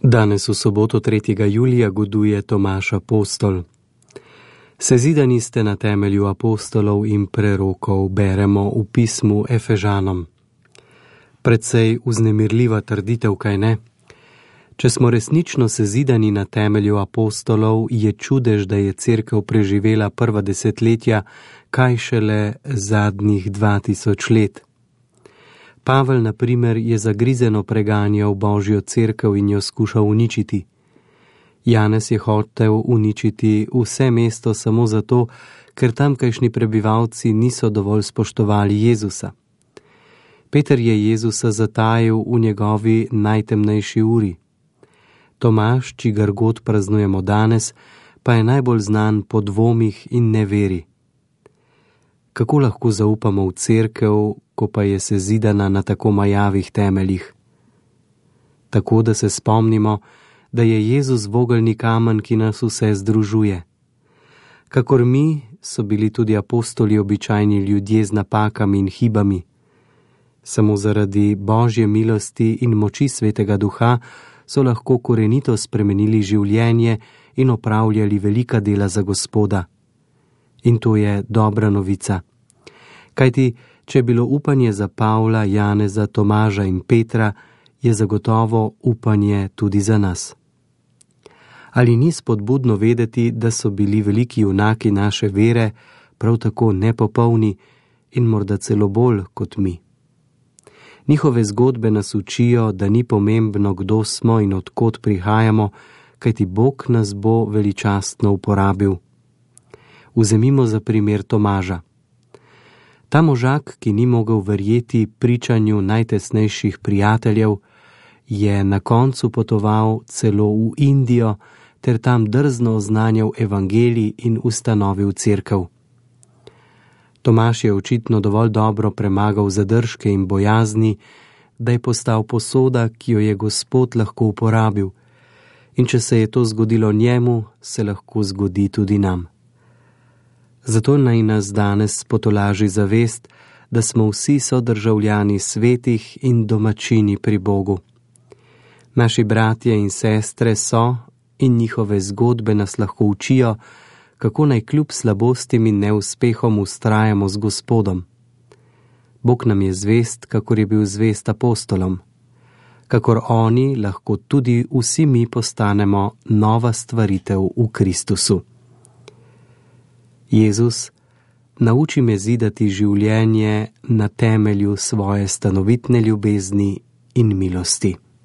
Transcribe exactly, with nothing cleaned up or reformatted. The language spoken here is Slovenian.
Danes v soboto tretjega julija goduje Tomaž Apostol. Sezidani ste na temelju apostolov in prerokov, beremo v pismu Efežanom. Precej vznemirljiva trditev, kaj ne? Če smo resnično sezidani na temelju apostolov, je čudež, da je cerkev preživela prva desetletja, kaj šele zadnjih dva tisoč let. Pavel, na primer, je zagrizeno preganjal Božjo cerkev in jo skušal uničiti. Janez je hotel uničiti vse mesto samo zato, ker tamkajšnji prebivalci niso dovolj spoštovali Jezusa. Peter je Jezusa zatajil v njegovi najtemnejši uri. Tomaž, čigar god praznujemo danes, pa je najbolj znan po dvomih in neveri. Kako lahko zaupamo v cerkev, ko pa je sezidana na tako majavih temeljih? Tako, da se spomnimo, da je Jezus vogelni kamen, ki nas vse združuje. Kakor mi, so bili tudi apostoli običajni ljudje z napakami in hibami. Samo zaradi Božje milosti in moči Svetega Duha so lahko korenito spremenili življenje in opravljali velika dela za Gospoda. In to je dobra novica. Kajti, če je bilo upanje za Pavla, Janeza, Tomaža in Petra, je zagotovo upanje tudi za nas. Ali ni spodbudno vedeti, da so bili veliki junaki naše vere prav tako nepopolni in morda celo bolj kot mi? Njihove zgodbe nas učijo, da ni pomembno, kdo smo in od kod prihajamo, kajti Bog nas bo veličastno uporabil. Vzemimo za primer Tomaža. Ta možak, ki ni mogel verjeti pričanju najtesnejših prijateljev, je na koncu potoval celo v Indijo ter tam drzno oznanjal evangelij in ustanovil cerkev. Tomaž je očitno dovolj dobro premagal zadržke in bojazni, da je postal posoda, ki jo je Gospod lahko uporabil. In če se je to zgodilo njemu, se lahko zgodi tudi nam. Zato naj nas danes potolaži zavest, da smo vsi sodržavljani svetih in domačini pri Bogu. Naši bratje in sestre so in njihove zgodbe nas lahko učijo, kako naj kljub slabostim in neuspehom vztrajamo z Gospodom. Bog nam je zvest, kakor je bil zvest apostolom. Kakor oni, lahko tudi vsi mi postanemo nova stvaritev v Kristusu. Jezus, nauči me zidati življenje na temelju svoje stanovitne ljubezni in milosti.